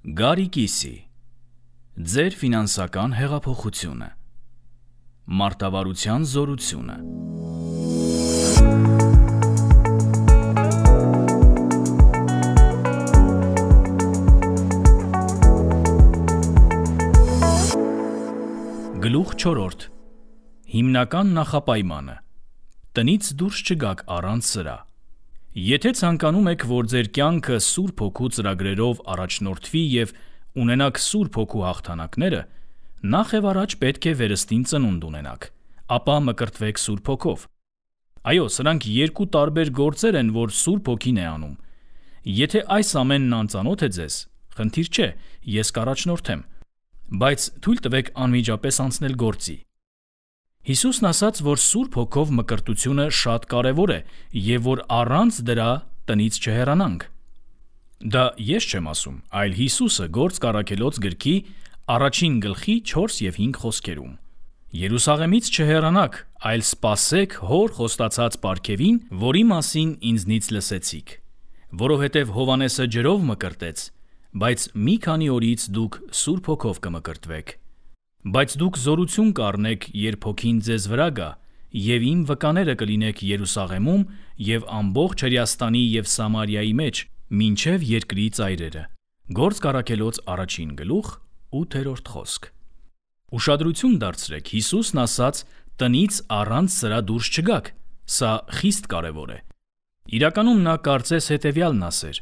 Գարիկիսի ձեր ֆինանսական հեղափոխությունը, մարտավարության զորությունը։ Գլուխ 4. Հիմնական նախապայմանը՝ տնից դուրս չգաք առանց սրա։ Եթե ցանկանում եք, որ ձեր կյանքը Սուրբ Հոգու ծրագրերով առաջնորդվի և ունենաք Սուրբ Հոգու հաղթանակները, նախ և առաջ պետք է վերստին ծնունդ ունենաք, ապա մկրտվեք Սուրբ Հոգով։ Այո, սրանք երկու տարբեր գործեր են, որ Սուրբ Հոգին է անում։ Եթե այս ամենն անծանոթ է ձեզ, խնդիր չէ, ես կառաջնորդեմ, բայց թույլ տվեք անմիջապես անցնել գործի։ Հիսուսն ասաց, որ Սուրբ Հոգով մկրտությունը շատ կարևոր է և որ առանց դրա տնից չհեռանանք։ Դա ես չեմ ասում, այլ Հիսուսը Գործք Առաքելոց գրքի 1 գլխի 4 և 5 խոսքերում։ Երուսաղեմից չհեռանաք, այլ սպասեք Հոր խոստացած պարգևին, որի մասին ինձնից լսեցիք, որովհետև Հովհաննեսը ջրով մկրտեց, բայց մի քանի օրից դուք Սուրբ Հոգով կմկրտվեք։ Բայց դուք զորություն կառնեք, երբ Հոգին ձեզ վրա գա, և իմ վկաները կլինեք Երուսաղեմում և ամբողջ Հրեաստանի և Սամարիայի մեջ, մինչև երկրի ծայրերը։ Գործք Առաքելոց 1 գլուխ 8 խոսք։ Ուշադրություն դարձրեք, Հիսուսն ասաց տնից առանց սրա դուրս չգաք, սա խիստ կարևոր է։ Իրականում նա կարծես հետևյալն ասեր.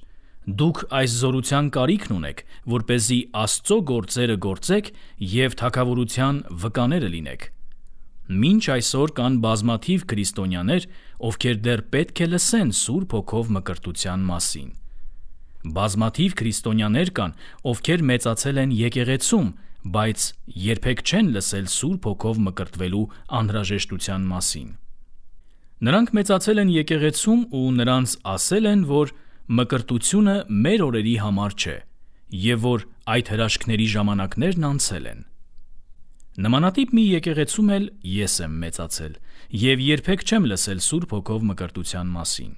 դուք այս զորության կարիքն ունեք, որպեսզի Աստծո գործերը գործեք և թագավորության վկաները լինեք։ Մինչ այսօր կան բազմաթիվ քրիստոնյաներ, ովքեր դեռ պետք է լսեն Սուրբ Հոգով մկրտության մասին։ Բազմաթիվ քրիստոնյաներ կան, ովքեր մեծացել են եկեղեցում, բայց երբեք չեն լսել Սուրբ Հոգով մկրտվելու անհրաժեշտության մասին։ Նրանք մեծացել են եկեղեցում ու նրանց ասել են, որ մկրտությունը մեր օրերի համար չէ և որ այդ հրաշքների ժամանակներն անցել են։ Նմանատիպ մի եկեղեցում էլ ես եմ մեծացել և երբեք չեմ լսել Սուրբ Հոգով մկրտության մասին։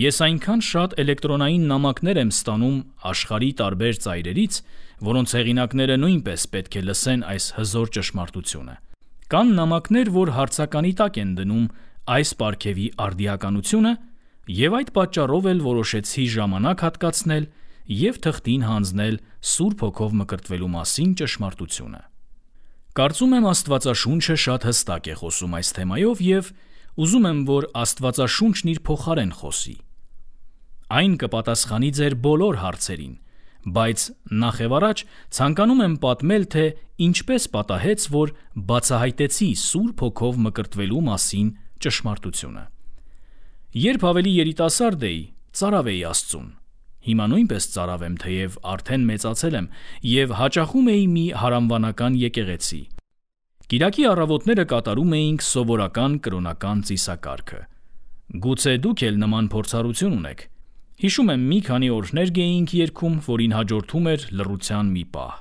Ես այնքան շատ էլեկտրոնային նամակներ եմ ստանում աշխարհի տարբեր ծայրերից, որոնց հեղինակները նույնպես պետք է լսեն այս հզոր ճշմարտությունը։ Կան նամակներ, որ հարցականի տակ են դնում այս պարգևի արդիականությունը, և այդ պատճառով էլ որոշեցի ժամանակ հատկացնել և թղթին հանձնել Սուրբ Հոգով մկրտվելու մասին ճշմարտությունը։ Կարծում եմ Աստվածաշունչը շատ հստակ է խոսում այս թեմայով և ուզում եմ, որ Աստվածաշունչն իր փոխարեն խոսի։ Այն կպատասխանի ձեր բոլոր հարցերին, բայց նախ և առաջ ցանկանում եմ պատմել, թե ինչպես պատահեց, որ բացահայտեցի Սուրբ Հոգով մկրտվելու մասին ճշմարտությունը։ Երբ ավելի երիտասարդ էի, ծարավ էի Աստծուն։ Հիմա նույնպես ծարավ եմ, թեև արդեն մեծացել եմ և հաճախում էի մի հարանվանական եկեղեցի։ Կիրակի առավոտները կատարում էինք սովորական կրոնական ծիսակարգը։ Գուցե դուք էլ նման փորձառություն ունեք։ Հիշում եմ, մի քանի օրհներ էինք երգում, որին հաջորդում էր լռության մի պահ։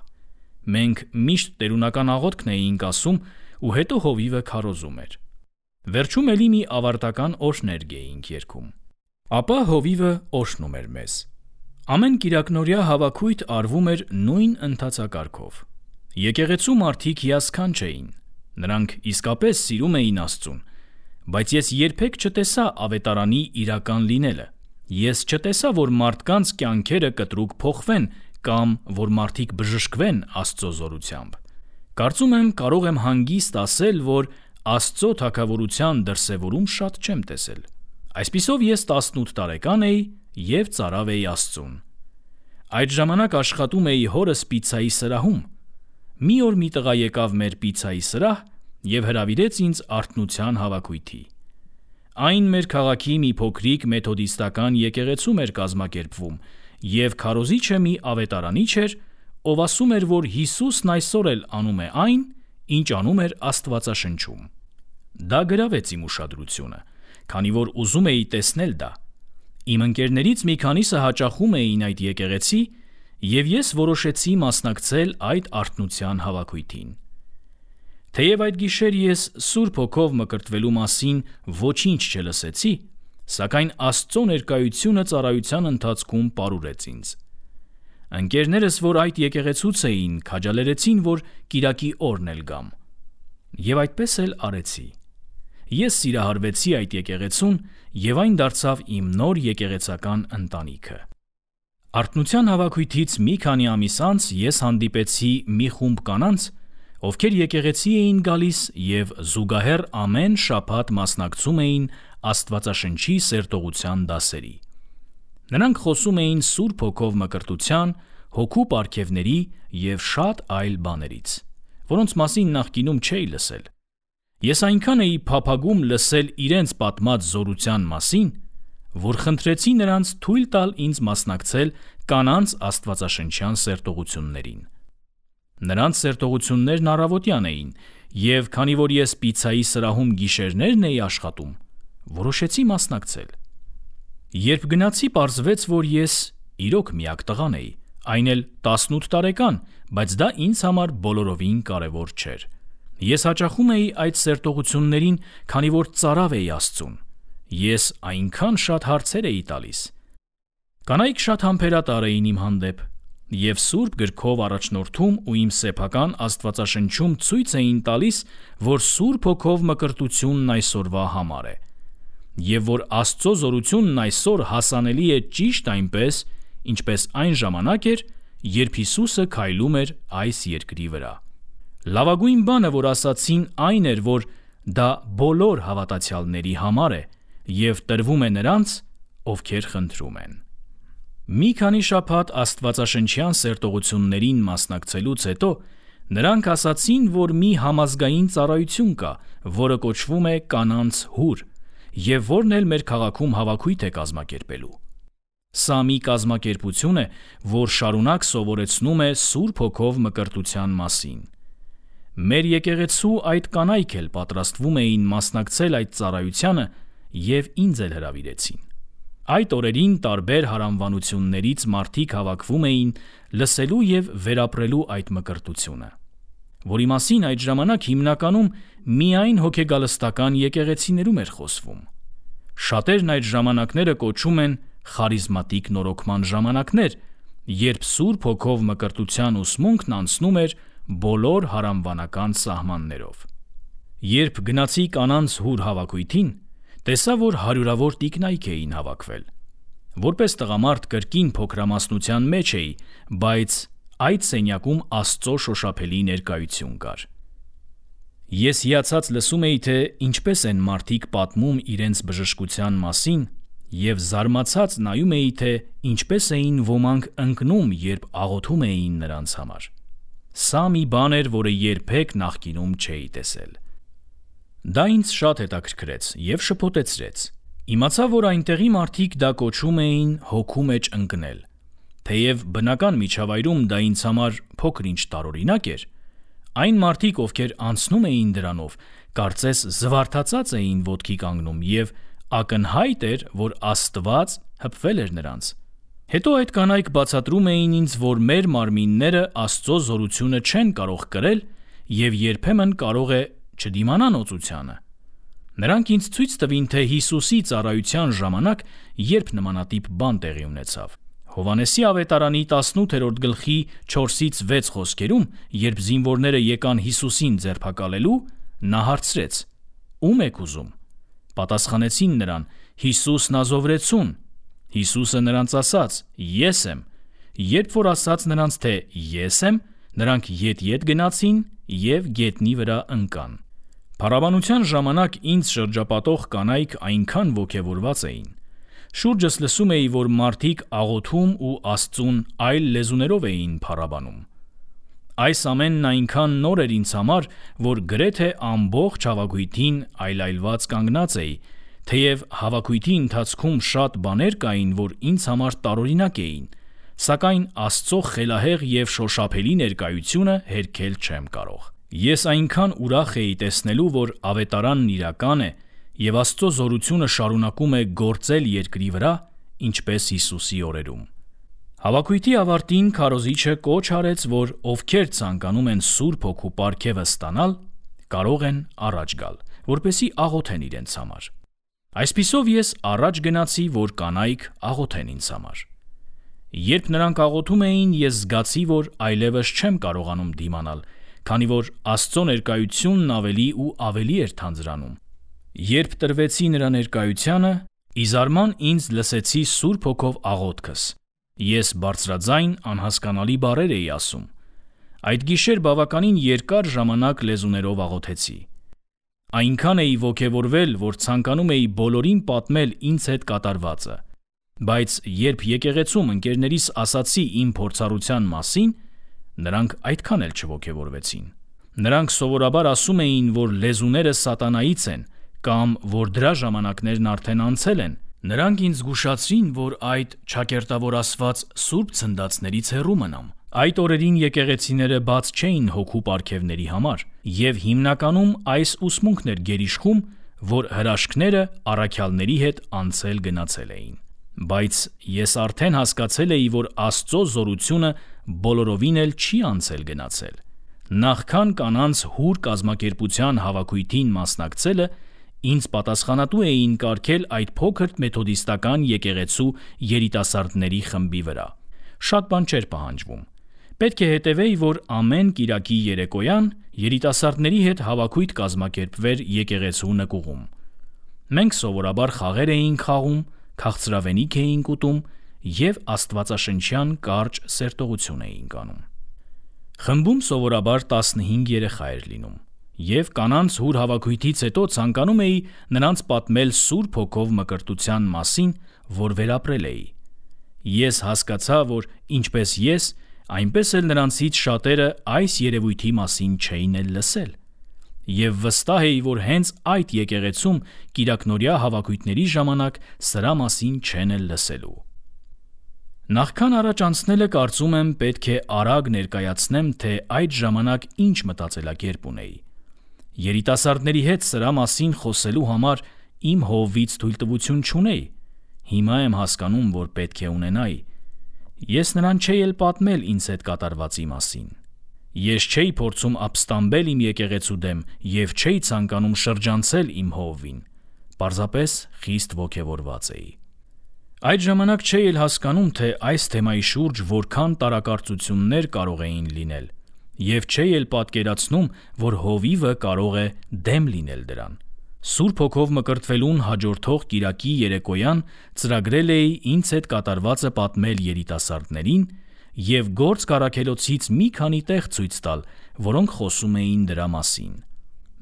Մենք միշտ տերունական աղոթքն էինք ասում ու հետո հովիվը քարոզում էր։ Վերջում էլի մի ավարտական օրհներ էինք երգում։ Ապա հովիվը օրհնում էր մեզ։ Ամեն կիրակնօրյա հավաքույթ արվում էր նույն ընթացակարգով։ Եկեղեցու մարդիկ հիասքանչ էին։ Նրանք իսկապես սիրում էին Աստծուն, բայց ես երբեք չտեսա ավետարանի իրական լինելը։ Ես չտեսա, որ մարդկանց կյանքերը կտրուկ փոխվեն կամ որ մարդիկ բժշկվեն Աստծո զորությամբ։ Կարծում եմ, կարող եմ հանգիստ ասել, որ Աստծո թագավորության դրսևորում շատ չեմ տեսել։ Այսպիսով ես 18 տարեկան էի և ծարավ էի Աստծուն։ Այդ ժամանակ աշխատում էի հորս պիցցայի սրահում։ Մի օր մի տղա եկավ մեր պիցցայի սրահ և հրավիրեց ինձ արթնության հավաքույթի։ Այն մեր քաղաքի մի փոքրիկ մեթոդիստական եկեղեցում էր կազմակերպվում և քարոզիչը մի ավետարանիչ էր, ով ասում էր, որ Հիսուսն այսօր էլ անում է այն, ինչ անում էր Աստվածաշնչում։ Դա գրավեց իմ ուշադրությունը, քանի որ ուզում էի տեսնել դա։ Իմ ընկերներից մի քանիսը հաճախում էին այդ եկեղեցի, և ես որոշեցի մասնակցել այդ արթնության հավաքույթին։ Թեև այդ գիշեր ես Սուրբ Հոգով մկրտվելու մասին ոչինչ չլսեցի, սակայն Աստծո ներկայությունը ծառայության ընթացքում պարուրեց ինձ։ Ընկերներս, որ այդ եկեղեցուց էին, քաջալերեցին, որ կիրակի օրն էլ գամ։ Եվ այդպես էլ արեցի։ Ես սիրահարվեցի այդ եկեղեցուն, եւ այն դարձավ իմ նոր եկեղեցական ընտանիքը։ Արթնության հավաքույթից մի քանի ամիս անց ես հանդիպեցի մի խումբ կանանց, ովքեր եկեղեցի էին գալիս եւ զուգահեռ ամեն շաբաթ մասնակցում էին Աստվածաշնչի սերտողության դասերի։ Նրանք խոսում էին Սուրբ Հոգով մկրտության, հոգու պարգևների եւ շատ այլ բաներից, որոնց մասին նախկինում չէի լսել։ Ես այնքան էի փափագում լսել իրենց պատմած զորության մասին, որ խնդրեցի նրանց թույլ տալ ինձ մասնակցել կանանց աստվածաշնչյան սերտողություններին։ Նրանց սերտողություններն առավոտյան էին, եւ քանի որ ես պիցցայի սրահում գիշերներն էի աշխատում, որոշեցի մասնակցել։ Երբ գնացի, պարզվեց, որ ես իրոք միակ տղան էի, այն էլ 18 տարեկան, բայց դա ինձ համար բոլորովին կարևոր չէր։ Ես հաճախում էի այդ սերտողություններին, քանի որ ծարավ էի Աստծուն։ Ես այնքան շատ հարցեր էի տալիս։ Կանայք շատ համբերատար էին իմ հանդեպ, եւ Սուրբ գրքով առաջնորդում ու իմ սեփական Աստվածաշնչում ցույց էին տալիս, որ Սուրբ Հոգով մկրտությունն այսօրվա համար է, եւ որ Աստծո զորությունն այսօր հասանելի է ճիշտ այնպես, ինչպես այն ժամանակ էր, երբ Հիսուսը քայլում էր այս երկրի վրա։ Լավագույն բանը, որ ասացին, այն էր, որ դա բոլոր հավատացյալների համար է եւ տրվում է նրանց, ովքեր խնդրում են։ Մի քանի շաբաթ աստվածաշնչյան սերտողություններին մասնակցելուց հետո նրանք ասացին, որ մի համազգային ծառայություն կա, որը կոչվում է կանանց հուր, եւ որն էլ մեր քաղաքում հավաքույթ է կազմակերպելու։ Սա մի կազմակերպություն է, որ շարունակ սովորեցնում է Սուրբ Հոգով մկրտության մասին։ Մեր եկեղեցու այդ կանայք էլ պատրաստվում էին մասնակցել այդ ծառայությանը եւ ինձ էլ հրավիրեցին։ Այդ օրերին տարբեր հարանվանություններից մարդիկ հավաքվում էին լսելու եւ վերապրելու այդ մկրտությունը, որի մասին այդ ժամանակ հիմնականում միայն հոգեգալստական եկեղեցիներում էր խոսվում։ Շատերն այդ ժամանակները կոչում են խարիզմատիկ նորոգման ժամանակներ, երբ Սուրբ Հոգով մկրտության ուսմունքն անցնում էր բոլոր հարանվանական սահմաններով։ Երբ գնացի կանանց հուր հավաքույթին, տեսա, որ հարյուրավոր տիկնայք էին հավաքվել։ Որպես տղամարդ կրկին փոքրամասնության մեջ էի, բայց այդ սենյակում Աստծո շոշափելի ներկայություն կար։ Ես հիացած լսում էի, թե ինչպես են մարդիկ պատմում իրենց բժշկության մասին, եւ զարմացած նայում էի, թե ինչպես էին ոմանք ընկնում, երբ աղոթում էին նրանց համար։ Սա մի բան էր, որը երբեք նախկինում չէի տեսել։ Դա ինձ շատ հետաքրքրեց եւ շփոթեցրեց։ Իմացա, որ այնտեղի մարդիկ դա կոչում էին հոգու մեջ ընկնել։ Թեև բնական միջավայրում դա ինձ համար փոքր-ինչ տարօրինակ էր, այն մարդիկ, ովքեր անցնում էին դրանով, կարծես զվարթացած էին ոտքի կանգնում եւ ակնհայտ էր, որ Աստված հպվել էր նրանց։ Հետո այդ կանայք բացատրում էին ինձ, որ մեր մարմինները Աստծո զորությունը չեն կարող կրել եւ երբեմն կարող է չդիմանան օծությանը։ Նրանք ինձ ցույց տվին, թե Հիսուսի ծառայության ժամանակ երբ նմանատիպ բան տեղի ունեցավ։ Հովհաննեսի ավետարանի 18-րդ գլխի 4-ից 6 խոսքերում, երբ զինվորները եկան Հիսուսին ձերբակալելու, նա հարցրեց. «Ո՞ւմ եք ուզում»։ Պատասխանեցին նրան. «Հիսուս Նազովրեցուն»։ Հիսուսը նրանց ասաց. «Ես եմ»։ Երբ որ ասաց նրանց, թե «Ես եմ», նրանք ետ գնացին եւ գետնի վրա ընկան։ Փառաբանության ժամանակ ինձ շրջապատող կանայք այնքան ոգևորված էին։ Շուրջս լսում էի, որ մարդիկ աղոթում ու Աստծուն այլ լեզուներով էին փառաբանում։ Այս ամենն այնքան նոր էր ինձ համար, որ գրեթե ամբողջ հավաքույթին այլայլված կանգնած էի, թեև հավաքույթի ընթացքում շատ բաներ կային, որ ինձ համար տարօրինակ էին, սակայն Աստծո խելահեղ եւ շոշափելի ներկայությունը հերքել չեմ կարող։ Ես այնքան ուրախ էի տեսնելու, որ ավետարանն իրական է եւ Աստծո զորությունը շարունակում է գործել երկրի վրա, ինչպես Հիսուսի օրերում։ Հավաքույթի ավարտին քարոզիչը կոչ արեց, որ ովքեր ցանկանում են Սուրբ Հոգու պարգևը ստանալ, կարող են առաջ գալ, որպեսզի աղոթեն իրենց համար։ Այսպիսով ես առաջ գնացի, որ կանայք աղոթեն ինձ համար։ Երբ նրանք աղոթում էին, ես զգացի, որ այլևս չեմ կարողանում դիմանալ, քանի որ Աստծո ներկայությունն ավելի ու ավելի էր թանձրանում։ Երբ տրվեցի նրա ներկայությանը, ի զարման ինձ լսեցի Սուրբ Հոգով աղոթքս։ Ես բարձրաձայն անհասկանալի բառեր էի ասում։ Այդ գիշեր բավականին երկար ժամանակ լեզուներով աղոթեցի։ Այնքան էի ոգևորվել, որ ցանկանում էի բոլորին պատմել ինձ հետ կատարվածը։ Բայց երբ եկեղեցում ընկերներիս ասացի իմ փորձառության մասին, նրանք այդքան էլ չոգևորվեցին։ Նրանք սովորաբար ասում էին, որ լեզուները սատանայից են կամ որ դրա ժամանակներն արդեն անցել են։ Նրանք ինձ զգուշացրին, որ այդ չակերտավորացված սուրբ ցնդացներից հեռու մնամ։ Այդ օրերին եկեղեցիները բաց չէին հոգու պարգևների համար, եւ հիմնականում այս ուսմունքն էր գերիշխում, որ հրաշքները առաքյալների հետ անցել գնացել էին։ Բայց ես արդեն հասկացել էի, որ Աստծո զորությունը բոլորովին էլ չի անցել գնացել։ Նախքան կանանց հուր կազմակերպության հավաքույթին մասնակցելը, ինձ պատասխանատու էին կարգել այդ փոքր մեթոդիստական եկեղեցու երիտասարդների խմբի վրա։ Շատ բան չէր պահանջվում։ Պետք է հետևեի, որ ամեն կիրակի երեկոյան երիտասարդների հետ հավաքույթ կազմակերպվեր եկեղեցու նկուղում։ Մենք սովորաբար խաղեր էինք խաղում, քաղցրավենիք էինք ուտում և աստվածաշնչյան կարճ սերտողություն էինք անում։ Խմբում սովորաբար 15 երեխա էր լինում, և կանանց հուր հավաքույթից հետո ցանկանում էի նրանց պատմել Սուրբ Հոգով մկրտության մասին, որ վերապրել էի։ Ես հասկացա, որ ինչպես ես, այնպես էլ նրանցից շատերը այս երևույթի մասին չէին էլ լսել։ Եվ վստահ էի, որ հենց այդ եկեղեցում կիրակնօրյա հավաքույթների ժամանակ սրա մասին չեն էլ լսելու։ Նախքան առաջ անցնելը կարծում եմ պետք է արագ ներկայացնեմ, թե այդ ժամանակ ինչ մտածելակերպ ունեի։ Երիտասարդների հետ սրա մասին խոսելու համար իմ հովվից թույլտվություն չունեի։ Հիմա եմ հասկանում, որ պետք է ունենայի։ Ես նրան չէի էլ պատմել ինձ հետ կատարվածի մասին։ Ես չէի փորձում ապստամբել իմ եկեղեցու դեմ և չէի ցանկանում շրջանցել իմ հովվին։ Պարզապես խիստ ոգևորված էի։ Այդ ժամանակ չէի էլ հասկանում, թե այս թեմայի շուրջ որքան տարակարծություններ կարող էին լինել, և չէի էլ պատկերացնում, որ հովիվը կարող է դեմ լինել դրան։ Սուրբ Հոգով մկրտվելուն հաջորդող կիրակի երեկոյան ծրագրել էի ինձ հետ կատարվածը պատմել երիտասարդներին և Գործք առաքելոցից մի քանի տեղ ցույց տալ, որոնք խոսում էին դրա մասին։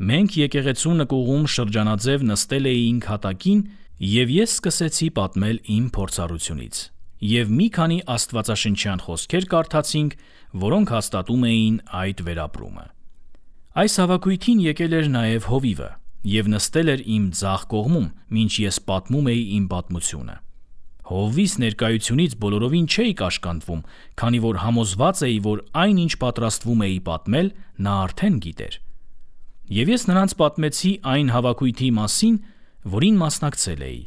Մենք եկեղեցու նկուղում շրջանաձև նստել էինք հատակին, և ես սկսեցի պատմել իմ փորձառությունից, և մի քանի աստվածաշնչյան խոսքեր կարդացինք, որոնք հաստատում էին այդ վերապրումը։ Այս հավաքույթին եկել էր նաև հովիվը և նստել էր իմ ձախ կողմում, մինչ ես պատմում էի իմ պատմությունը։ Հովվիս ներկայությունից բոլորովին չէի կաշկանդվում, քանի որ համոզված էի, որ այն, ինչ պատրաստվում էի պատմել, նա արդեն գիտեր։ Եվ ես նրանց պատմեցի այն հավաքույթի մասին, որին մասնակցել էի,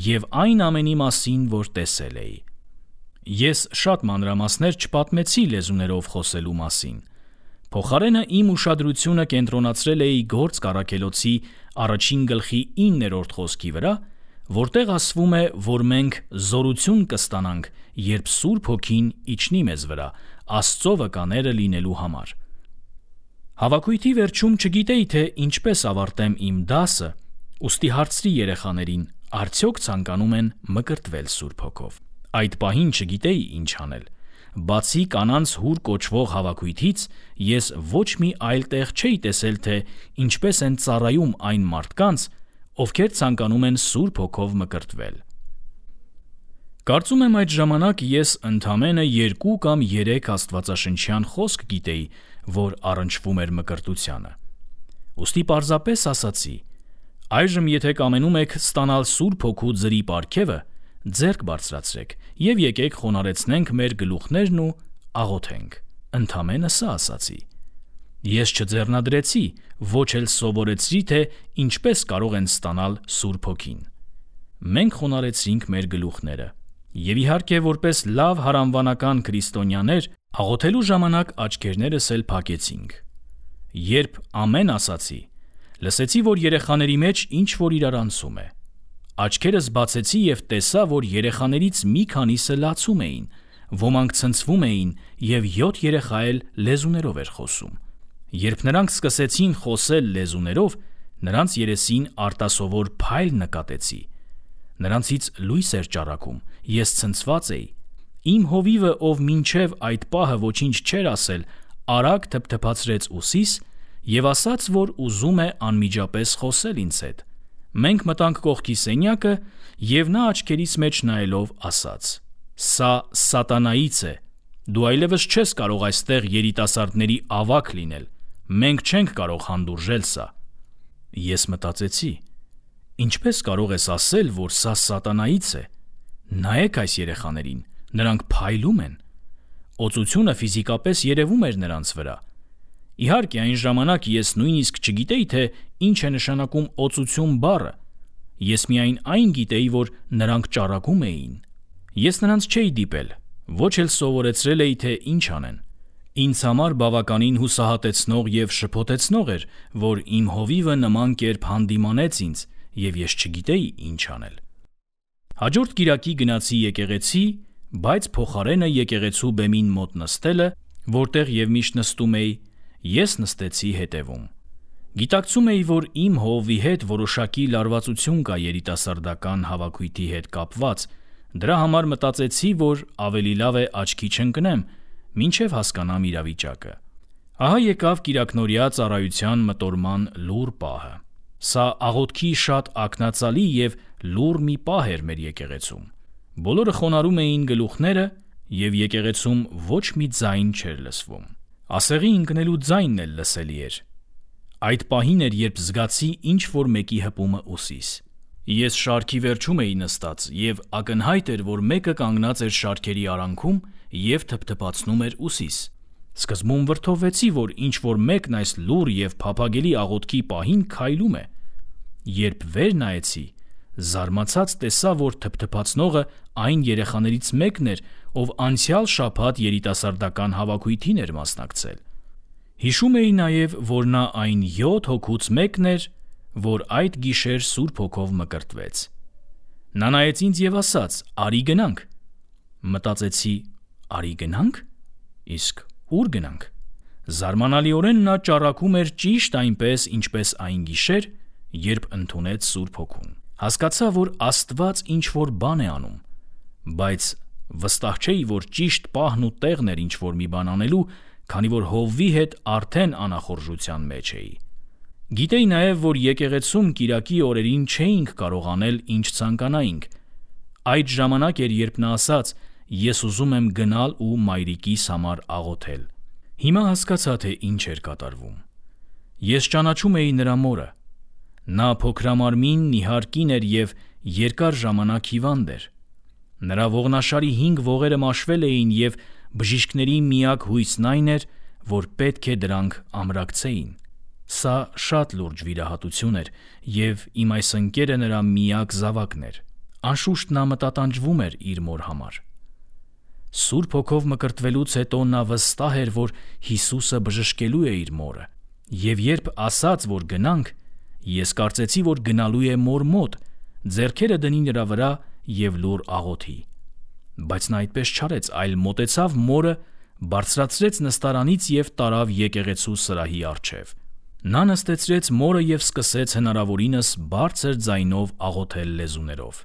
և այն ամենի մասին, որ տեսել էի։ Ես շատ մանրամասներ չպատմեցի լեզուներով խոսելու մասին։ Փոխարենը իմ ուշադրությունը կենտրոնացրել էի Գործք առաքելոցի 1-ին խոսքի վրա, որտեղ ասվում է, որ մենք զորություն կստանանք, երբ Սուրբ Հոգին իջնի մեզ վրա, Աստծո վկաները լինելու համար։ Հավաքույթի վերջում չգիտեի, թե ինչպես ավարտեմ իմ դասը, ուստի հարցրի երեխաներին, արդյոք ցանկանում են մկրտվել Սուրբ Հոգով։ Այդ պահին չգիտեի ինչ անել։ Բացի կանանց հուր կոչվող հավաքույթից, ես ոչ մի այլ տեղ չէի տեսել, թե ինչպես են ծառայում այն մարդկանց, ովքեր ցանկանում են Սուրբ Հոգով մկրտվել։ Կարծում եմ այդ ժամանակ ես ընդամենը 2 կամ 3 աստվածաշնչյան խոսք գիտեի, որ առնչվում էր մկրտությանը։ Ուստի պարզապես ասացի. այժմ եթե կամենում եք ստանալ Սուրբ Հոգու ձրի պարգևը, ձեռք բարձրացրեք և եկեք խոնարհեցնենք մեր գլուխներն ու աղոթենք։ Ընդամենը սա ասացի։ Ես չձեռնադրեցի, ոչ էլ սովորեցրի, թե ինչպես կարող են ստանալ Սուրբ Հոգին։ Մենք խոնարհեցրինք մեր գլուխները, և իհարկե որպես լավ հարանվանական քրիստոնյաներ աղոթելու ժամանակ աչքերներս էլ փակեցինք։ Երբ ամեն ասացի, լսեցի, որ երեխաների մեջ ինչ-որ իրարանցում է։ Աչքերս բացեցի և տեսա, որ երեխաներից մի քանիսը լացում էին, Ոմանք ցնցվում էին, և 7 երեխա էլ լեզուներով էր խոսում։ Երբ նրանք սկսեցին խոսել լեզուներով, նրանց երեսին արտասովոր փայլ նկատեցի։ Նրանցից լույս էր ճառագում, ես ցնցված էի։ Իմ հովիվը, ով մինչև այդ պահը ոչինչ չէր ասել, արագ թփթփացրեց ուսիս և ասաց, որ ուզում է անմիջապես խոսել ինձ հետ։ Մենք մտանք կողքի սենյակը, և նա աչքերիս մեջ նայելով ասաց. «Սա սատանայից է։ Դու այլևս չես կարող այստեղ երիտասարդների ավագ լինել։ Մենք չենք կարող հանդուրժել սա»։ Ես մտածեցի. ինչպես կարող ես ասել, որ սա սատանայից է։ Նայեք այս երեխաներին, նրանք փայլում են։ Օծությունը ֆիզիկապես երևում էր նրանց վրա։ Իհարկե, այն ժամանակ ես նույնիսկ չգիտեի, թե ինչ է նշանակում օծություն բառը։ Ես միայն այն գիտեի, որ նրանք ճառագում էին։ Ես նրանց չէի դիպել, ոչ էլ սովորեցրել էի, թե ինչ անեն։ Ինձ համար բավականին հուսահատեցնող և շփոթեցնող էր, որ իմ հովիվը նման կերպ հանդիմանեց ինձ, և ես չգիտեի ինչ անել։ Հաջորդ կիրակի գնացի եկեղեցի, բայց փոխարենը եկեղեցու բեմին մոտ նստելը, որտեղ և միշտ նստում էի, ես նստեցի հետևում։ Գիտակցում էի, որ իմ հովվի հետ որոշակի լարվածություն կա երիտասարդական հավաքույթի հետ կապված, դրա համար մտածեցի, որ ավելի լավ է աչքի չընկնեմ, մինչև հասկանամ իրավիճակը։ Ահա եկավ կիրակնօրյա ծառայության մտորման լուռ պահը։ Սա աղոթքի շատ ակնածալի և լուռ մի պահ էր մեր եկեղեցում։ Բոլորը խոնարհում էին գլուխները, և եկեղեցում ոչ մի ձայն չէր լսվում։ Ասեղի ընկնելու ձայնն էլ լսելի էր։ Այդ պահին էր, երբ զգացի ինչ-որ մեկի հպումը ուսիս։ Ես շարքի վերջում էի նստած, և ակնհայտ էր, որ մեկը կանգնած էր շարքերի արանքում և թփթփացնում էր ուսիս։ Սկզբում վրդովվեցի, որ ինչ-որ մեկն այս լուռ և փափագելի աղոթքի պահին քայլում է։ Երբ վեր նայեցի, զարմացած տեսա, որ թփթփացնողը այն երեխաներից մեկն էր, ով անցյալ շաբաթ երիտասարդական հավաքույթին էր մասնակցել։ Հիշում էի նաև, որ նա այն 7 հոգուց մեկն էր, որ այդ գիշեր Սուրբ Հոգով մկրտվեց։ Նա նայեց ինձ և ասաց. «Արի գնանք»։ Մտածեցի. «Արի գնանք»։ Իսկ ուր գնանք։ Զարմանալիորեն նա ճառագում էր ճիշտ այնպես, ինչպես այն գիշեր, երբ ընդունեց Սուրբ Հոգուն։ Հասկացա, որ Աստված ինչ-որ բան է անում, բայց վստահ չէի, որ ճիշտ պահն ու տեղն էր ինչ-որ մի բան անելու, քանի որ հովվի հետ արդեն անախորժության մեջ էի։ Գիտեի նաև, որ եկեղեցում կիրակի օրերին չէինք կարող անել, ինչ ցանկանայինք։ Այդ ժամանակ էր, երբ նա ասաց. «Ես ուզում եմ գնալ ու մայրիկիս համար աղոթել»։ Հիմա հասկացա, թե ինչ էր կատարվում։ Ես ճանաչում էի նրա մորը։ Նա փոքրամարմին, նիհար կին էր և երկար ժամանակ հիվանդ էր։ Նրա ողնաշարի 5 ողերը մաշվել էին, և բժիշկների միակ հույսն այն էր, որ պետք է դրանք ամրակցեին։ Սա շատ լուրջ վիրահատություն էր, և իմ այս ընկերը նրա միակ զավակն էր։ Անշուշտ նա մտատանջվում էր իր մոր համար։ Սուրբ Հոգով մկրտվելուց հետո նա վստահ էր, որ Հիսուսը բժշկելու է իր մորը, և երբ ասաց, որ գնանք, ես կարծեցի, որ գնալու է մոր մոտ, ձեռքերը դնի նրա վրա և լուռ աղոթի։ Բայց նա այդպես չարեց, այլ մոտեցավ մորը, բարձրացրեց նստարանից և տարավ եկեղեցու սրահի առջև։ Նա նստեցրեց մորը և սկսեց հնարավորինս բարձր ձայնով աղոթել լեզուներով։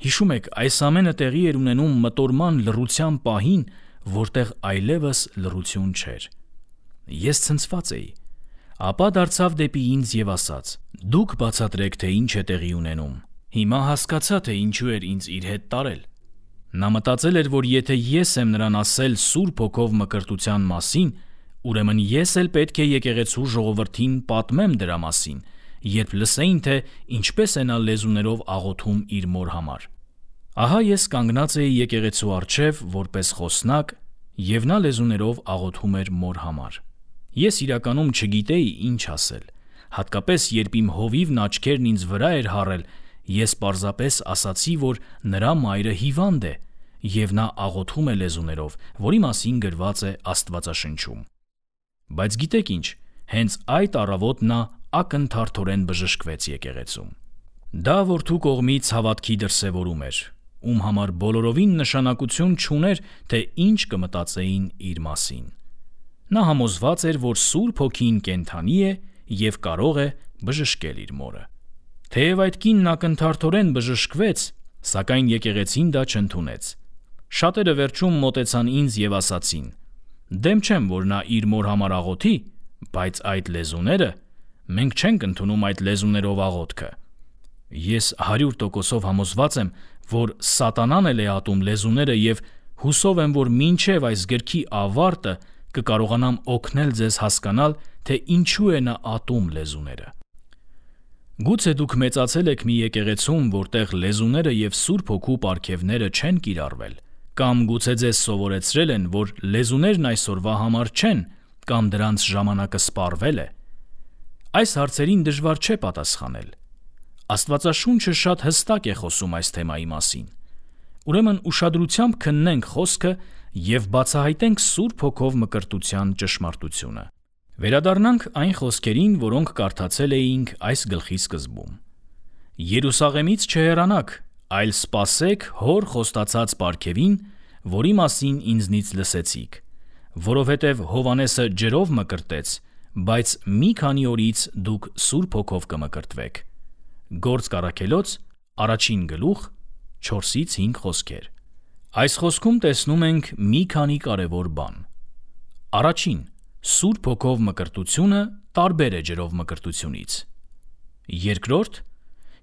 Հիշում եք, այս ամենը տեղի էր ունենում մտորման լռության պահին, որտեղ այլևս լռություն չէր։ Ես ցնցված էի։ Ապա դարձավ դեպի ինձ և ասաց. «Դուք բացատրեք, թե ինչ է տեղի ունենում»։ Հիմա հասկացա, թե ինչու էր ինձ իր հետ տարել։ Նա մտածել էր, որ եթե ես եմ նրան ասել Սուրբ Հոգով մկրտության մասին, ուրեմն ես էլ պետք է եկեղեցու ժողովրդին պատմեմ դրա մասին, երբ լսեին, թե ինչպես է նա լեզուներով աղոթում իր մոր համար։ Ահա ես կանգնած էի եկեղեցու առջև որպես խոսնակ, և նա լեզուներով աղոթում էր մոր համար։ Ես իրականում չգիտեի ինչ ասել, հատկապես երբ իմ հովիվն աչքերն ինձ վրա էր հառել, ես պարզապես ասացի, որ նրա մայրը հիվանդ է, և նա աղոթում է լեզուներով, որի մասին գրված է Աստվածաշնչում։ Բայց գիտեք ինչ, հենց այդ առավոտ նա ակնթարթորեն բժշկվեց եկեղեցում։ Դա որդու կողմից հավատքի դրսևորում էր, ում համար բոլորովին նշանակություն չուներ, թե ինչ կմտածեին իր մասին։ Նա համոզված էր, որ Սուրբ Հոգին կենդանի է և կարող է բժշկել իր մորը։ Թեև այդ կինն ակնթարթորեն բժշկվեց, սակայն եկեղեցին դա չընդունեց։ Շատերը վերջում մոտեցան ինձ և ասացին. «Դեմ չեմ, որ նա իր մոր համար աղոթի, բայց այդ լեզուները, մենք չենք ընդունում այդ լեզուներով աղոթքը»։ Ես 100% համոզված եմ, որ սատանան էլ է ատում լեզուները և հուսով եմ, որ մինչև այս գրքի ավարտը կկարողանամ օգնել ձեզ հասկանալ, թե ինչու է նա ատում լեզուները։ Գուցե դուք մեծացել եք մի եկեղեցում, որտեղ լեզուները և Սուրբ Հոգու պարգևները չեն կիրառվել, կամ գուցե ձեզ սովորեցրել են, որ լեզուներն այսօրվա համար չեն, կամ դրանց ժամանակը սպառվել է։ Այս հարցերին դժվար չէ պատասխանել։ Աստվածաշունչը շատ հստակ է խոսում այս թեմայի մասին։ Ուրեմն ուշադրությամբ քննենք խոսքը և բացահայտենք Սուրբ Հոգով մկրտության ճշմարտությունը։ Վերադառնանք այն խոսքերին, որոնք կարդացել էինք այս գլխի սկզբում։ Երուսաղեմից չհեռանաք, այլ սպասեք Հոր խոստացած պարգևին, որի մասին ինձնից լսեցիք, որովհետև Հովհաննեսը ջրով մկրտեց, բայց մի քանի օրից դուք Սուրբ Հոգով կմկրտվեք։ Գործք Առաքելոց 1:4-5 խոսքեր։ Այս խոսքում տեսնում ենք մի քանի կարևոր բան։ Առաջին, Սուրբ Հոգով մկրտությունը տարբեր է ջրով մկրտությունից։ Երկրորդ,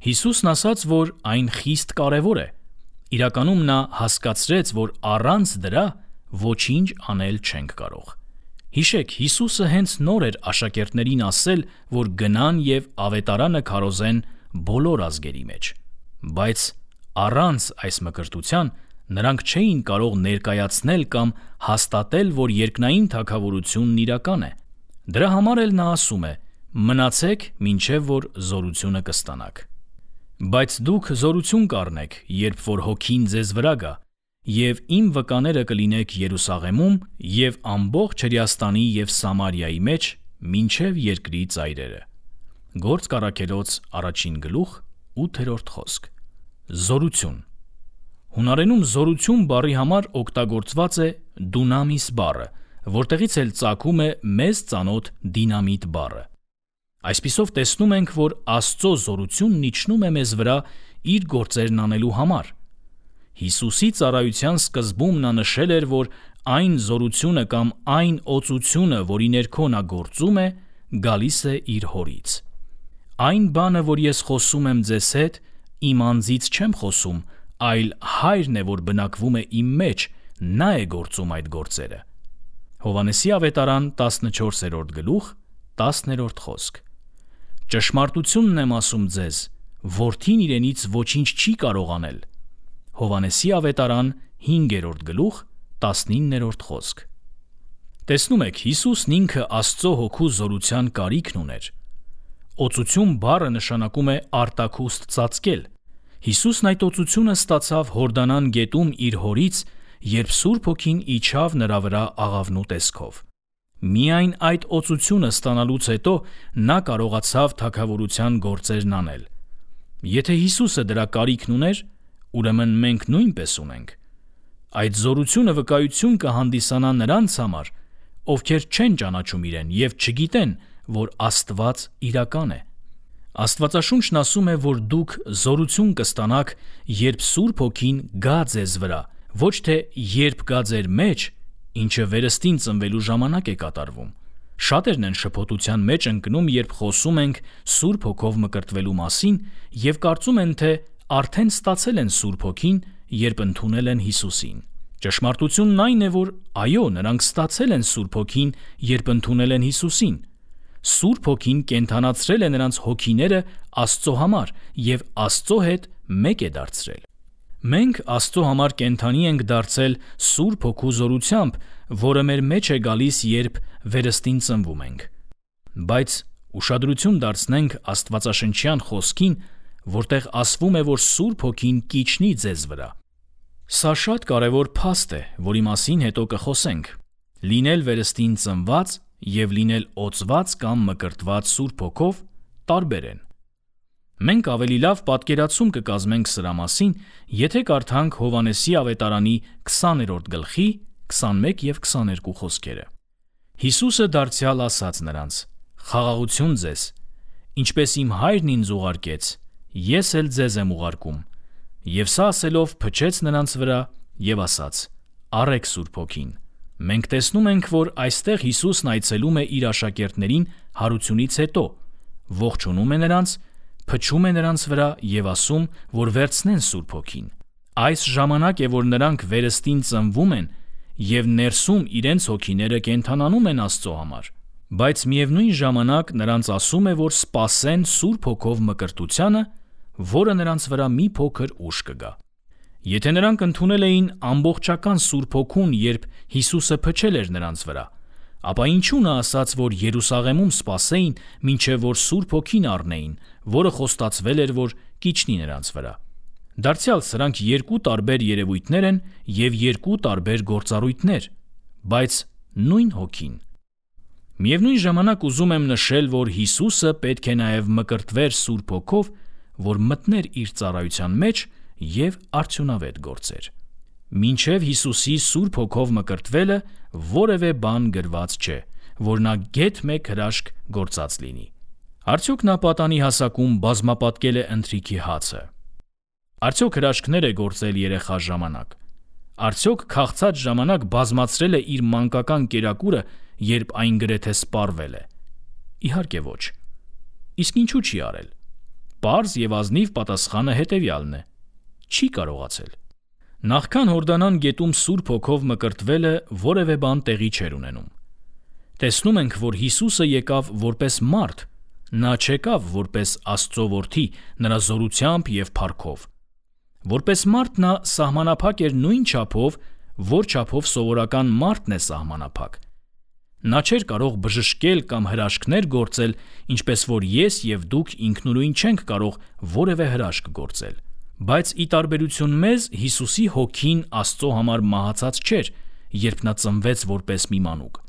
Հիսուսն ասաց, որ այն խիստ կարևոր է։ Իրականում նա հասկացրեց, որ առանց դրա ոչինչ անել չենք կարող։ Հիշեք, Հիսուսը հենց նոր էր աշակերտներին ասել, որ գնան և ավետարանը քարոզեն բոլոր ազգերի մեջ։ Բայց առանց այս մկրտության նրանք չէին կարող ներկայացնել կամ հաստատել, որ երկնային թագավորությունն իրական է։ Դրա համար էլ նա ասում է. «Մնացեք, մինչև որ զորությունը կստանաք»։ Բայց դուք զորություն կառնեք, երբ որ Հոգին ձեզ վրա գա, և իմ վկաները կլինեք Երուսաղեմում և ամբողջ Հրեաստանի և Սամարիայի մեջ, մինչև երկրի ծայրերը։ Գործք Առաքելոց 1:8 խոսք։ Զորություն։ Հունարենում զորություն բառի համար օգտագործված է դունամիս բառը, որտեղից էլ ծագում է մեզ ծանոթ դինամիտ բառը։ Այսպիսով տեսնում ենք, որ Աստծո զորությունն իջնում է մեզ վրա իր գործերն անելու համար։ Հիսուսի ծառայության սկզբում նա նշել էր, որ այն զորությունը կամ այն օծությունը, որի ներքո նա գործում է, գալիս է իր Հորից։ Այն բանը, որ ես խոսում եմ ձեզ հետ, իմ անձից չեմ խոսում, այլ Հայրն է, որ բնակվում է իմ մեջ, նա է գործում այդ գործերը։ Հովհաննեսի ավետարան 14:10 խոսք։ Ճշմարտությունն եմ ասում ձեզ, որդին իրենից ոչինչ չի կարող անել։ Հովհաննեսի ավետարան 5:19 խոսք։ Տեսնում եք, Հիսուսն ինքը Աստծո Հոգու զորության կարիքն ուներ։ Օծություն բառը նշանակում է արտաքուստ ծածկել։ Հիսուսն այդ օծությունը ստացավ Հորդանան գետում իր Հորից, երբ Սուրբ Հոգին իջավ նրա վրա աղավնու տեսքով։ Միայն այդ օծությունը ստանալուց հետո նա կարողացավ թագավորության գործերն անել։ Եթե Հիսուսը դրա կարիքն ուներ, ուրեմն մենք նույնպես ունենք։ Այդ զորությունը վկայություն կհանդիսանա նրանց համար, ովքեր չեն ճանաչում իրեն և չգիտեն, որ Աստված իրական է։ Աստվածաշունչն ասում է, որ դուք զորություն կստանաք, երբ Սուրբ Հոգին գա ձեզ վրա, ոչ թե երբ գա ձեր մեջ, ինչը վերստին ծնվելու ժամանակ է կատարվում։ Շատերն են շփոթության մեջ ընկնում, երբ խոսում ենք Սուրբ Հոգով մկրտվելու մասին և կարծում են, թե արդեն ստացել են Սուրբ Հոգին, երբ ընդունել են Հիսուսին։ Ճշմարտությունն այն է, որ այո, նրանք ստացել են Սուրբ Հոգին, երբ ընդունել են Հիսուսին։ Սուրբ Հոգին կենդանացրել է նրանց հոգիները Աստծո համար և Աստծո հետ մեկ է դարձրել։ Մենք Աստծո համար կենդանի ենք դարձել Սուրբ Հոգու զորությամբ, որը մեր մեջ է գալիս, երբ վերստին ծնվում ենք։ Բայց ուշադրություն դարձնենք Աստվածաշնչյան խոսքին, որտեղ ասվում է, որ Սուրբ Հոգին կիջնի ձեզ վրա։ Սա շատ կարևոր փաստ է, որի մասին հետո կխոսենք։ Լինել վերստին ծնված և լինել օծված կամ մկրտված Սուրբ Հոգով տարբեր են։ Մենք ավելի լավ պատկերացում կկազմենք սրա մասին, եթե կարդանք Հովհաննեսի ավետարանի 20-րդ գլխի 21 և 22 խոսքերը։ Հիսուսը դարձյալ ասաց նրանց. «Խաղաղություն ձեզ, ինչպես իմ Հայրն ինձ ուղարկեց, ես էլ ձեզ եմ ուղարկում»։ Եվ սա ասելով փչեց նրանց վրա և ասաց. «Առեք Սուրբ Հոգին»։ Մենք տեսնում ենք, որ այստեղ Հիսուսն այցելում է իր աշակերտներին հարությունից հետո, ողջունում է նրանց, փչում է նրանց վրա և ասում, որ վերցնեն Սուրբ Հոգին։ Այս ժամանակ է, որ նրանք վերստին ծնվում են և ներսում իրենց հոգիները կենդանանում են Աստծո համար, բայց միևնույն ժամանակ նրանց ասում է, որ սպասեն Սուրբ Հոգով մկրտությանը, որը նրանց վրա մի փոքր ուշ կգա։ Եթե նրանք ընդունել էին ամբողջական Սուրբ Հոգուն, երբ Հիսուսը փչել էր նրանց վրա, ապա ինչու նա ասաց, որ Երուսաղեմում սպասեին, մինչև որ Սուրբ Հոգին առնեին, որը խոստացվել էր, որ կիջնի նրանց վրա։ Դարձյալ սրանք երկու տարբեր երևույթներ են և երկու տարբեր գործառույթներ, բայց նույն Հոգին։ Միևնույն ժամանակ ուզում եմ նշել, որ Հիսուսը պետք է նաև մկրտվեր Սուրբ Հոգով, որ մտներ իր ծառայության մեջ և արդյունավետ գործեր։ Մինչև Հիսուսի Սուրբ Հոգով մկրտվելը որևէ բան գրված չէ, որ նա գեթ մեկ հրաշք գործած լինի։ Արդյոք նա պատանի հասակում բազմապատկել է ընթրիքի հացը։ Արդյոք հրաշքներ է գործել երեխա ժամանակ։ Արդյոք քաղցած ժամանակ բազմացրել է իր մանկական կերակուրը, երբ այն գրեթե սպառվել է։ Իհարկե ոչ։ Իսկ ինչու չի արել։ Պարզ և ազնիվ պատասխանը հետևյալն է. չի կարողացել։ Նախքան Հորդանան գետում Սուրբ Հոգով մկրտվելը որևէ բան տեղի չէր ունենում։ Տեսնում ենք, որ Հիսուսը եկավ որպես մարդ, նա չեկավ որպես Աստծո որդի, նրա զորությամբ և փառքով։ Որպես մարդ նա սահմանափակ էր նույն չափով, որ չափով սովորական մարդն է սահմանափակ։ Նա չէր կարող բժշկել կամ հրաշքներ գործել, ինչպես որ ես և դուք ինքնուրույն չենք կարող որևէ հրաշք գործել։ Բայց ի տարբերություն մեզ, Հիսուսի հոգին Աստծո համար մահացած չէր, երբ նա ծնվեց որպես մի մանուկ։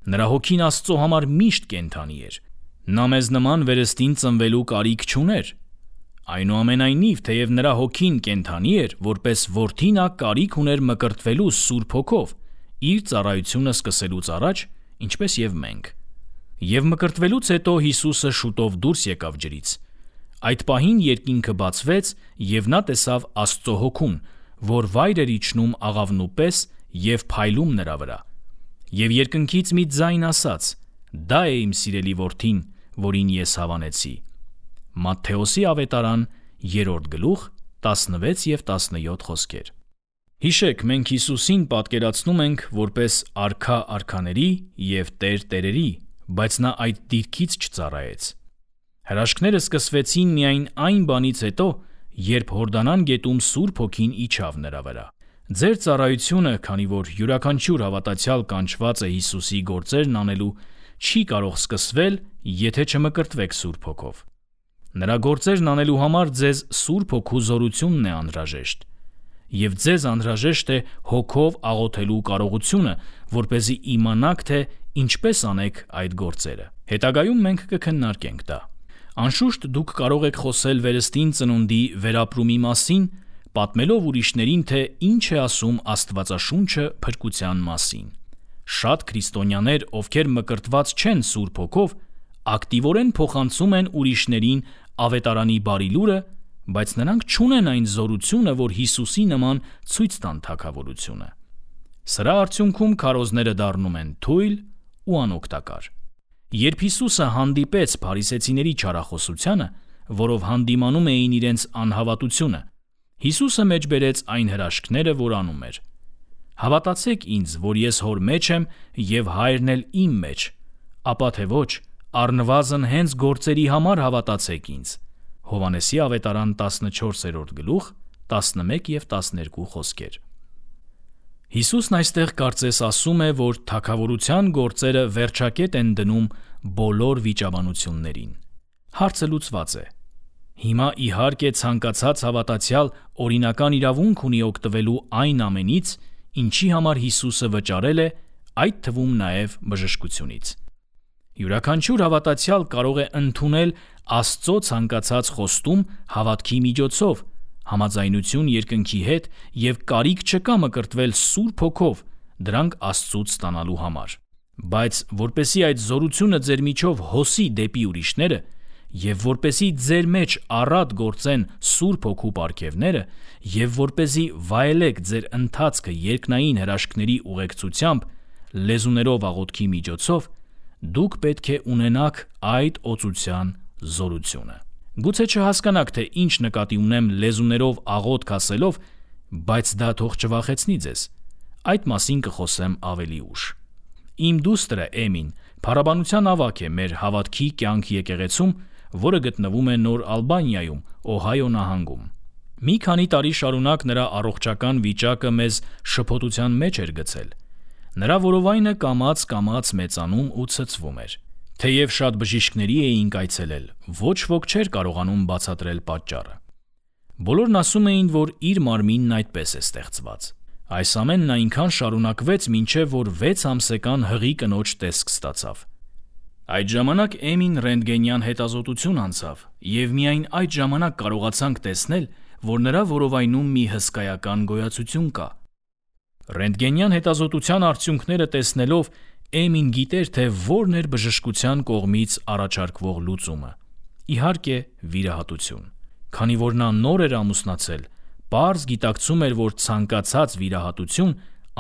Նրա հոգին Աստծո համար միշտ կենդանի էր։ Նա մեզ նման վերստին ծնվելու կարիք չուներ։ Այնուամենայնիվ, թեև նրա հոգին կենդանի էր, որպես որդի նա կարիք ուներ մկրտվելու Սուրբ Հոգով, իր ծառայությունը սկսելուց առաջ, ինչպես և մենք։ Եվ մկրտվելուց հետո Հիսուսը շուտով դուրս եկավ ջրից։ Այդ պահին երկինքը բացվեց, և նա տեսավ Աստծո Հոգուն, որ վայր էր իջնում աղավնու պես և փայլում նրա վրա։ Եվ երկնքից մի ձայն ասաց. «Դա է իմ սիրելի որդին, որին ես հավանեցի»։ Մատթեոսի ավետարան 3-րդ գլուխ 16 և 17 խոսքեր։ Հիշեք, մենք Հիսուսին պատկերացնում ենք որպես արքա արքաների և տեր տերերի, բայց նա այդ դիրքից չծառայեց։ Հրաշքները սկսվեցին միայն այն բանից հետո, երբ Հորդանան գետում Սուրբ Հոգին իջավ նրա վրա։ Ձեր ծառայությունը, քանի որ յուրաքանչյուր հավատացյալ կանչված է Հիսուսի գործերն անելու, չի կարող սկսվել, եթե չմկրտվեք Սուրբ Հոգով։ Նրա գործերն անելու համար ձեզ Սուրբ Հոգու զորությունն է անհրաժեշտ։ Եվ ձեզ անհրաժեշտ է Հոգով աղոթելու կարողությունը, որպեսզի իմանաք, թե ինչպես անեք այդ գործերը։ Հետագայում մենք կքննարկենք դա։ Անշուշտ դուք կարող եք խոսել վերստին ծնունդի վերապրումի մասին, պատմելով ուրիշներին, թե ինչ է ասում Աստվածաշունչը փրկության մասին։ Շատ քրիստոնյաներ, ովքեր մկրտված չեն Սուրբ Հոգով, ակտիվորեն փոխանցում են ուրիշներին ավետարանի բարի լուրը, բայց նրանք չունեն այն զորությունը, որ Հիսուսի նման ցույց տան թագավորությունը։ Սրա արդյունքում քարոզները դառնում են թույլ ու անօգտակար։ Երբ Հիսուսը հանդիպեց փարիսեցիների չարախոսությանը, որով հանդիմանում էին իրենց անհավատությունը, Հիսուսը մեջբերեց այն հրաշքները, որ անում էր։ «Հավատացեք ինձ, որ ես Հոր մեջ եմ և Հայրն էլ իմ մեջ, ապա թե ոչ, առնվազն հենց գործերի համար հավատացեք ինձ»։ Հովհաննեսի ավետարան 14-րդ գլուխ 11 և 12 խոսքեր։ Հիսուսն այստեղ կարծես ասում է, որ թագավորության գործերը վերջակետ են դնում բոլոր վիճաբանություններին։ Հարցը լուծված է։ Հիմա իհարկե ցանկացած հավատացյալ օրինական իրավունք ունի օգտվելու այն ամենից, ինչի համար Հիսուսը վճարել է, այդ թվում նաև բժշկությունից։ Յուրաքանչյուր հավատացյալ կարող է ընդունել Աստծո ցանկացած խոստում հավատքի միջոցով, համաձայնություն երկնքի հետ և կարիք չկա մկրտվել Սուրբ Հոգով դրանք Աստծուց ստանալու համար։ Բայց որպեսզի այդ զորությունը ձեր միջով հոսի դեպի ուրիշները և որպեսզի ձեր մեջ առատ գործեն Սուրբ Հոգու պարգևները և որպեսզի վայելեք ձեր ընթացքը երկնային հրաշքների ուղեկցությամբ լեզուներով աղոթքի միջոցով, դուք պետք է ունենաք այդ օծության զորությունը։ Գուցե չհասկանաք, թե ինչ նկատի ունեմ լեզուներով աղոթք ասելով, բայց դա թող չվախեցնի ձեզ։ Այդ մասին կխոսեմ ավելի ուշ։ Իմ դուստրը Էմին փառաբանության ավագ է մեր հավատքի կյանք եկեղեցում, որը գտնվում է Նոր Ալբանիայում, Օհայո նահանգում։ Մի քանի տարի շարունակ նրա առողջական վիճակը մեզ շփոթության մեջ էր գցել։ Նրա որովայնը կամաց-կամաց մեծանում ու ցցվում էր։ Թեև շատ բժիշկների էինք այցելել, ոչ ոք չէր կարողանում բացատրել պատճառը։ Բոլորն ասում էին, որ իր մարմինն այդպես է ստեղծված։ Այս ամենն այնքան շարունակվեց, մինչև որ 6 ամսական հղի կնոջ տեսք ստացավ։ Այդ ժամանակ Էմին ռենտգենյան հետազոտություն անցավ, և միայն այդ ժամանակ կարողացանք տեսնել, որ նրա որովայնում մի հսկայական գոյացություն կա։ Ռենտգենյան հետազոտության արդյունքները տեսնելով Էմին գիտեր, թե որն էր բժշկության կողմից առաջարկվող լուծումը։ Իհարկե, վիրահատություն։ Քանի որ նա նոր էր ամուսնացել, պարզ գիտակցում էր, որ ցանկացած վիրահատություն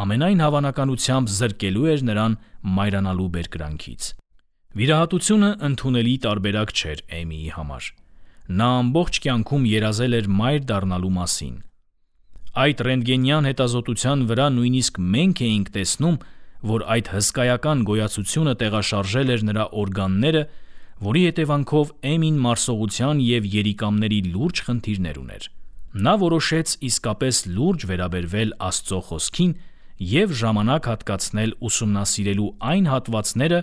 ամենայն հավանականությամբ զրկելու էր նրան մայրանալու բերկրանքից։ Վիրահատությունը ընդունելի տարբերակ չէր Էմիի համար։ Նա ամբողջ կյանքում երազել էր մայր դառնալու մասին։ Այդ ռենտգենյան հետազոտության վրա նույնիսկ մենք էինք տեսնում, որ այդ հսկայական գոյացությունը տեղաշարժել էր նրա օրգանները, որի հետևանքով Էմին մարսողության և երիկամների լուրջ խնդիրներ ուներ։ Նա որոշեց իսկապես լուրջ վերաբերվել Աստծո խոսքին և ժամանակ հատկացնել ուսումնասիրելու այն հատվածները,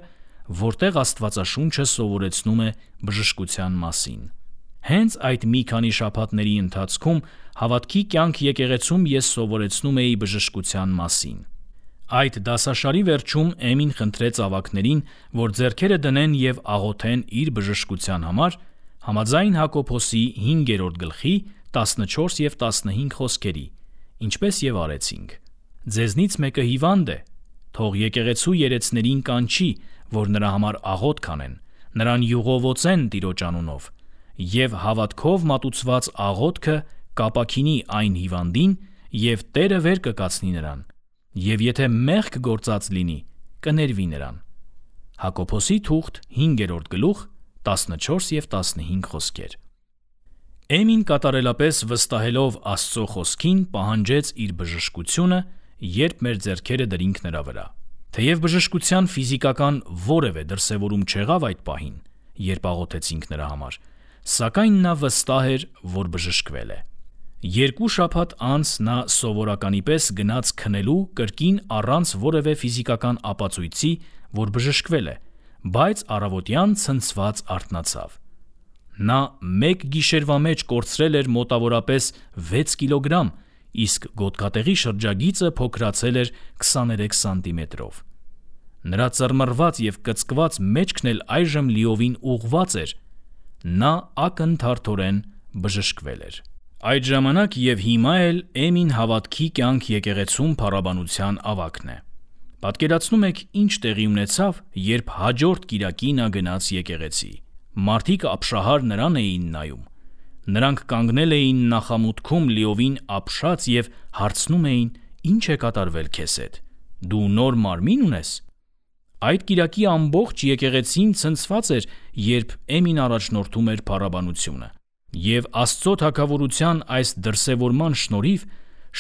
որտեղ Աստվածաշունչը սովորեցնում է բժշկության մասին։ Հենց այդ մի քանի շաբաթների ընթացքում հավատքի կյանք եկեղեցում ես սովորեցնում էի բժշկության մասին։ Այդ դասաշարի վերջում Էմին խնդրեց ավագներին, որ ձեռքերը դնեն և աղոթեն իր բժշկության համար, համաձայն Հակոբոսի 5-րդ գլխի 14 և 15 խոսքերի, ինչպես և արեցինք։ Ձեզնից մեկը հիվանդ է, թող եկեղեցու երեցներին կանչի, որ նրա համար աղոթք անեն, նրան յուղովոցեն Տիրոջ անունով, և հավատքով մատուցված աղոթքը կապաքինի այն հիվանդին, և Տերը վեր կկացնի նրան, և եթե մեղք գործած լինի, կներվի նրան։ Հակոբոսի թուղթ 5-րդ գլուխ 14 և 15 խոսքեր։ Էմին կատարելապես վստահելով Աստծո խոսքին պահանջեց իր բժշկությունը, երբ մեր ձեռքերը դրինք նրա վրա։ Թեև բժշկության ֆիզիկական որևէ դրսևորում չեղավ այդ պահին, երբ աղոթեցինք նրա համար, սակայն նա վստահ էր, որ բժշկվել է։ 2 շաբաթ անց նա սովորականի պես գնաց քնելու կրկին առանց որևէ ֆիզիկական ապացույցի, որ բժշկվել է, բայց առավոտյան ցնցված արթնացավ։ Նա մեկ գիշերվա մեջ կորցրել էր մոտավորապես 6 կիլոգրամ, իսկ գոտկատեղի շրջագիծը փոքրացել էր 23 սանտիմետրով։ Նրա ծռմռված և կծկված մեջքն էլ այժմ լիովին ուղղված էր։ Նա ակնթարթորեն բժշկվել էր։ Այդ ժամանակ և հիմա էլ Էմին հավատքի կյանք եկեղեցում փառաբանության ավագն է։ Պատկերացնում եք ինչ տեղի ունեցավ, երբ հաջորդ կիրակի նա գնաց եկեղեցի։ Մարդիկ ապշահար նրան էին նայում։ Նրանք կանգնել էին նախամուտքում լիովին ապշած և հարցնում էին. «Ինչ է կատարվել քեզ հետ։ Դու նոր մարմին ունես»։ Այդ կիրակի ամբողջ եկեղեցին ցնցված էր, երբ Էմին առաջնորդում էր փառաբանությունը։ Եվ Աստծո թագավորության այս դրսևորման շնորհիվ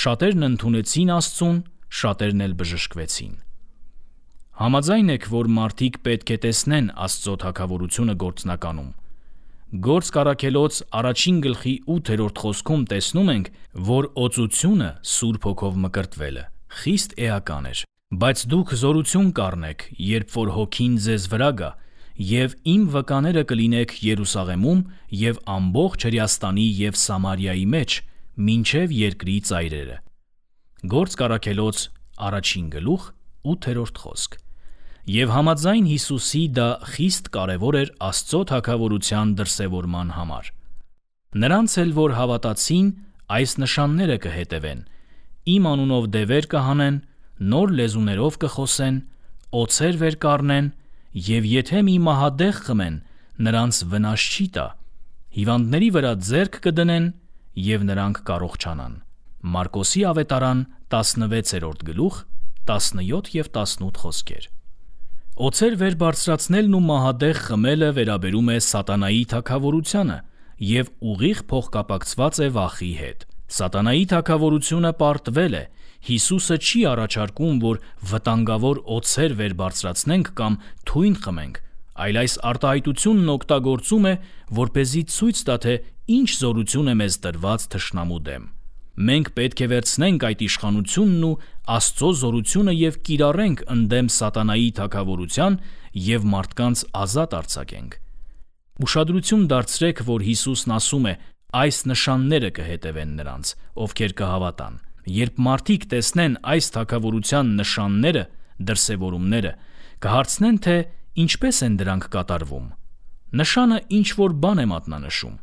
շատերն ընդունեցին Աստծուն, շատերն էլ բժշկվեցին։ Համաձայն եք, որ մարդիկ պետք է տեսնեն Աստծո թագավորությունը գործնականում։ Գործք առաքելոց 1 գլխի 8-րդ խոսքում տեսնում ենք, որ օծությունը Սուրբ Հոգով մկրտվելը խիստ էական էր։ Բայց դուք զորություն կառնեք, երբ որ Հոգին ձեզ վրա գա, և իմ վկաները կլինեք Երուսաղեմում և ամբողջ Հրեաստանի և Սամարիայի մեջ, մինչև երկրի ծայրերը։ Գործք առաքելոց 1 գլուխ 8-րդ խոսք։ եւ համաձայն Հիսուսի դա խիստ կարևոր էր Աստծո թագավորության դրսևորման համար։ Նրանց էլ, որ հավատացին, այս նշանները կհետևեն. իմ անունով դևեր կհանեն, նոր լեզուներով կխոսեն, օձեր վեր կառնեն, եւ եթե մի մահադեղ խմեն, նրանց վնաս չի տա, հիվանդների վրա ձեռք կդնեն եւ նրանք կառողջանան։ Մարկոսի ավետարան 16-րդ գլուխ 17 եւ 18 խոսքեր։ Օձեր վեր բարձրացնելն ու մահադեղ խմելը վերաբերում է սատանայի թագավորությանը եւ ուղիղ փոխկապակցված է վախի հետ։ Սատանայի թագավորությունը պարտվել է, Հիսուսը չի առաջարկում, որ վտանգավոր օձեր վեր բարձրացնենք կամ թույն խմենք, այլ այս արտահայտությունն օգտագործում է, որպեսզի ցույց տա, թե ինչ զորություն է մեզ տրված թշնամու դեմ։ Մենք պետք է վերցնենք այդ իշխանությունն ու Աստծո զորությունը եւ կիրառենք ընդդեմ սատանայի թագավորության եւ մարդկանց ազատ արձակենք։ Ուշադրություն դարձրեք, որ Հիսուսն ասում է. այս նշանները կհետևեն նրանց, ովքեր կհավատան։ Երբ մարդիկ տեսնեն այս թագավորության նշանները, դրսևորումները, կհարցնեն, թե ինչպես են դրանք կատարվում։ Նշանը ինչ-որ բան է մատնանշում։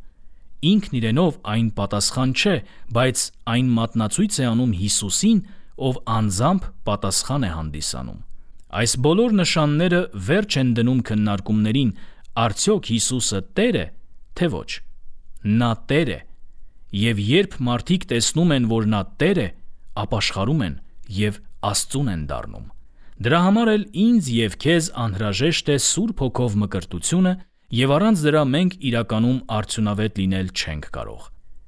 Ինքն իրենով այն պատասխան չէ, բայց այն մատնացույց է անում Հիսուսին, ով անձամբ պատասխան է հանդիսանում։ Այս բոլոր նշանները վերջ են դնում քննարկումներին, արդյոք Հիսուսը Տեր է, թե ոչ։ Նա Տեր է, եւ երբ մարդիկ տեսնում են, որ նա Տեր է, ապաշխարում են եւ Աստծուն են դառնում։ Դրա համար էլ ինձ եւ քեզ անհրաժեշտ է Սուրբ Հոգով մկրտությունը, եւ առանց դրա մենք իրականում արդյունավետ լինել չենք կարող։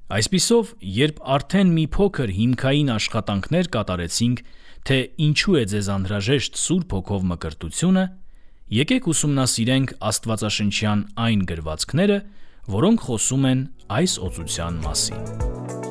Այսպիսով, երբ արդեն մի փոքր հիմքային աշխատանքներ կատարեցինք, թե ինչու է ձեզ անհրաժեշտ Սուրբ Հոգով մկրտությունը, եկեք ուսումնասիրենք Աստվածաշնչյան այն գրվածքները, որոնք խոսում են այս օծության մասին։